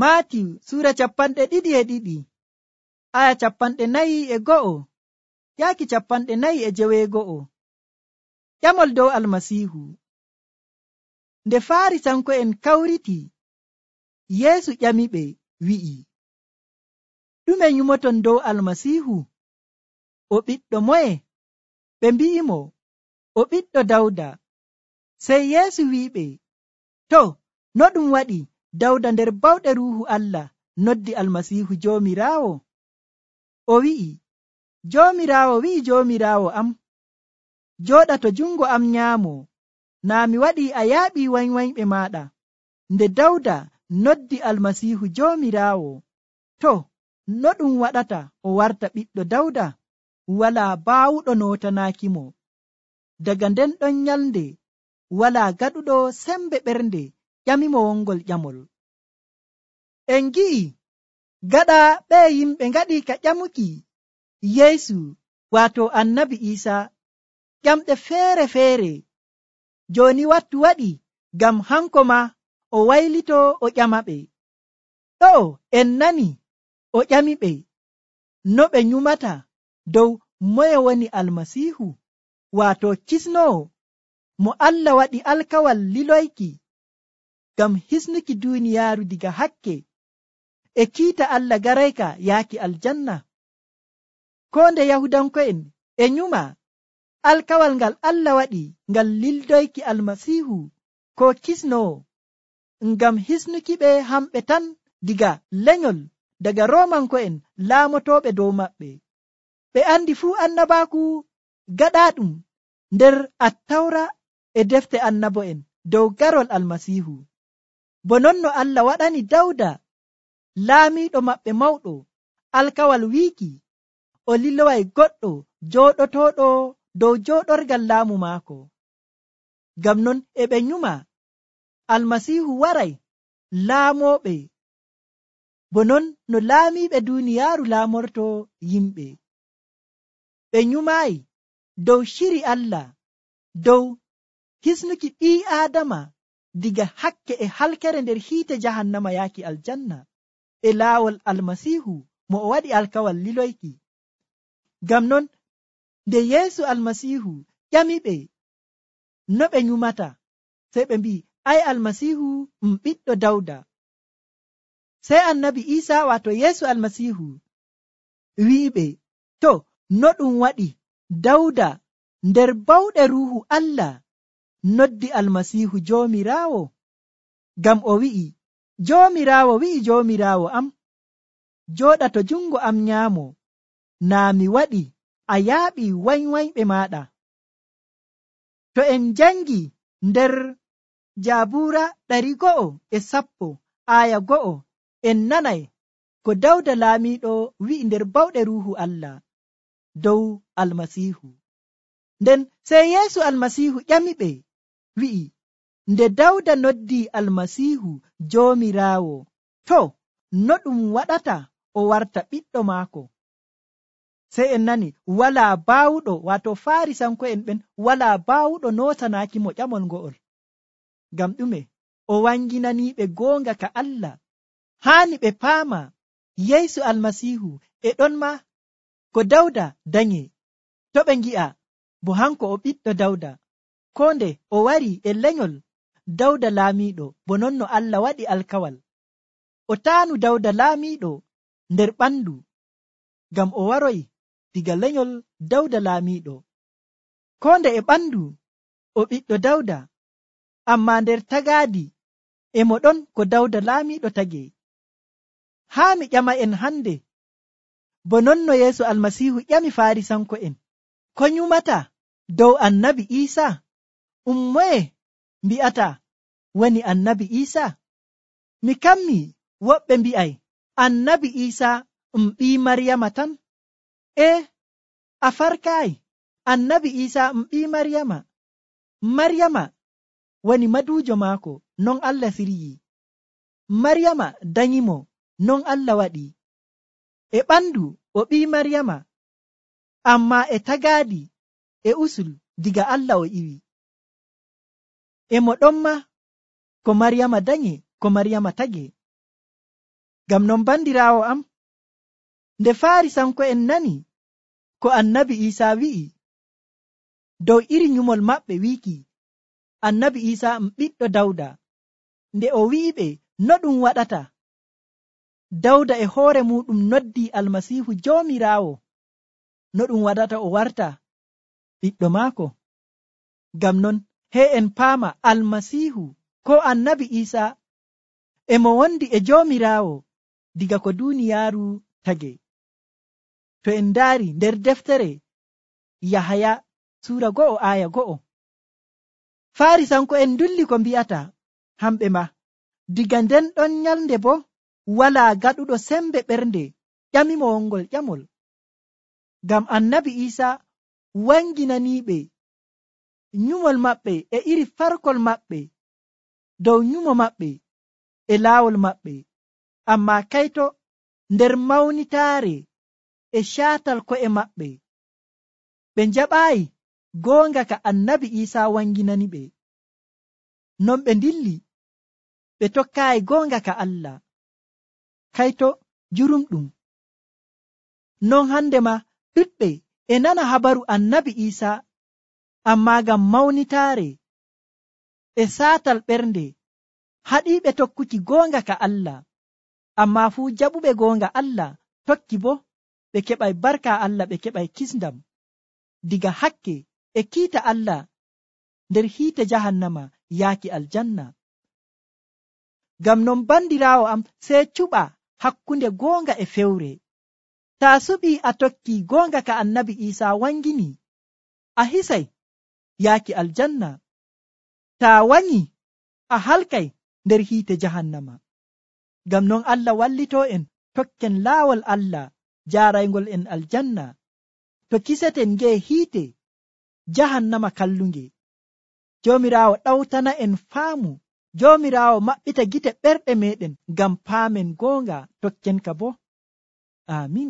Maatiyu sura 22 aya 41 yaaki 42. Ƴamol dow almasiihu. Nde Faarisanko'en kawriti, Yeesu ƴamiɓe wi'i, ɗume nyumoton dow almasiihu? O ɓiɗɗo moye? Ɓe mbi'imo, o ɓiɗɗo Dawda. Sey Yeesu wi'iɓe, to, no ɗum waɗi Dawda nder bawɗe Ruuhu Allah noddi almasiihu Joomiraawo? O wi'i, Joomiraawo wi'i Joomiraawo am, jooɗa to jungo am nyaamo, naa mi waɗii a yaaɓii wanywanyɓe maaɗa. Nde Dawda noddi almasiihu Joomiraawo, to, no ɗum waɗata o warta ɓiɗɗo Dawda? Walaa baawuɗo nootanaakimo. Daga nden ɗon nyalnde walaa gaɗuɗo sembe ɓernde ƴamimo wongol ƴamol. En gi'i gaɗa ɓe yimɓe ngaɗi ka ƴamuki Yeesu waato annabi Iisaa ƴamɗe feere-feere. Jooni wattu waɗi ngam hanko ma o waylito o ƴamaɓe. Ɗo'o en nani o ƴamiɓe no ɓe nyumata dow moye woni almasiihu, waato kisnoowo mo Allah waɗi alkawal liloyki ngam hisnuki duuniyaaru diga hakke e kiita Allah garayka yaaki aljanna. Ko nde Yahudanko'en e nyuma alkawal ngal Allah waɗi ngal lildoyki almasiihu ko kisnoowo ngam hisnuki ɓe hamɓe tan diga lenyol daga Roomanko'en laamotooɓe dow maɓɓe. Ɓe andi fuu annabaaku gaɗaaɗum nder Attawra e defte annabo'en dow garol almasiihu. Bo non no Allah waɗani Dawda laamiiɗo maɓɓe mawɗo alkawal wiiki o liloway goɗɗo jooɗotooɗo dow jooɗorgal laamu maako. Ngam non e ɓe nyuma almasiihu waray laamooɓe, bo non no laamiiɓe duuniyaaru laamorto yimɓe. Ɓe nyumaayi dow shiri Allah dow hisnuki ɓii Aadama diga hakke e halkere nder hiite jahannama yaaki aljanna e laawol almasiihu mo o waɗi alkawal liloyki. Ngam non nde Yeesu almasiihu ƴamiɓe no ɓe nyumata, sey ɓe mbi'i, ay almasiihu ɓiɗɗo Dawda. Sey annabi Iisaa waato Yeesu almasiihu wi'iɓe, to, no ɗum waɗi Dawda nder bawɗe Ruuhu Allah noddi almasiihu Joomiraawo? Ngam o wi'i, Joomiraawo wi'i Joomiraawo am, jooɗa to jungo am nyaamo, naa mi waɗi a yaaɓii wanywanyɓe maaɗa. To en jangi nder Jabuura 110 aya 1 en nanay ko Dawda laamiiɗo wi'i nder bawɗe Ruuhu Allah dow almasiihu. Nden sey Yeesu almasiihu ƴamiɓe wi'i, nde Dawda noddi almasiihu Joomiraawo, to, no ɗum waɗata o warta ɓiɗɗo maako? Sey en nani walaa baawuɗo, waato Faarisanko'en ɓen walaa baawuɗo nootanaaki mo ƴamol ngo'ol. Ngam ɗume? O wanginaniiɓe goonga ka Allah. Haani ɓe paama Yeesu almasiihu e ɗon ma ko Dawda danye. To ɓe ngi'a bo hanko o ɓiɗɗo Dawda, ko nde o wari e lenyol Dawda laamiiɗo, bo non no Allah waɗi alkawal. O taanu Dawda laamiiɗo nder ɓandu, ngam o waroy diga lenyol Dawda laamiiɗo. Ko nde e ɓandu o ɓiɗɗo Dawda, amma nder tagaadi e mo ɗon ko Dawda laamiiɗo tagee. Haa mi ƴama en hande, bo non no Yeesu almasiihu ƴami Faarisanko'en, ko nyumata dow annabi Iisaa? Moye mbi'ata woni annabi Iisaa? Mi kammi woɓɓe mbi'ay annabi Iisaa ɓii Maryama tan. A farkaayi, annabi Iisaa ɓii Maryama. Maryama woni maduujo maako, non Allah siryi. Maryama danyimo, non Allah waɗi. E ɓandu o ɓii Maryama, amma e tagaadi e usul diga Allah o iwi. E mo ɗon ma ko Maryama danye, ko Maryama tagee. Ngam non bandiraawo am, nde Faarisanko'en nani ko annabi Iisaa wi'i dow iri nyumol maɓɓe wiiki annabi Iisaa ɓiɗɗo Dawda, nde o wi'iɓe no ɗum waɗata Dawda e hoore muɗum noddii Almasiihu Joomiraawo, no ɗum waɗata o warta ɓiɗɗo maako. Ngam non en paama Almasiihu ko annabi Iisaa e mo wondi e Joomiraawo diga ko duuniyaaru tage. To en ndaari nder deftere Yahaya suura 1 aya 1, Faarisanko'en ndulli ko mbi'ata hamɓe ma, diga nden ɗon nyalnde bo walaa gaɗuɗo sembe ɓernde ƴamimo wongol ƴamol. Ngam annabi Iisaa wanginaniiɓe nyumol maɓɓe e iri farkol maɓɓe dow nyumo maɓɓe e laawol maɓɓe, ammaa kayto nder mawnitaare e caatal ko'e maɓɓe ɓe njaɓaayi goonga ka annabi Iisaa wanginani ɓe. Non ɓe ndilli ɓe tokkaayi goonga ka Allah. Kayto jurumɗum. Non hande ma ɗuɗɓe e nana habaru annabi Iisaa, ammaa ngam mawnitaare e saatal ɓernde haɗiiɓe tokkuki goonga ka Allah, ammaa fuu jaɓuɓe goonga Allah tokki bo ɓe keɓay barka Allah, ɓe keɓay kisndam diga hakke e kiita Allah nder hiite jahannama yaaki aljanna. Ngam non bandiraawo am, sey cuɓa hakkunde goonga e fewre. Taa suɓii a tokki goonga ka annabi Iisaa wangini, a hisay yaaki aljanna. Taa wanyi a halkay nder hiite jahannama. Ngam non Allah wallitoo en tokken laawol Allah jaaraygol en aljanna, to kiseten ngee hiite jahannama kallunge. Joomiraawo ɗawtana en faamu, Joomiraawo maɓɓita gite ɓerɗe meɗen ngam paamen goonga tokken ka bo. Amin.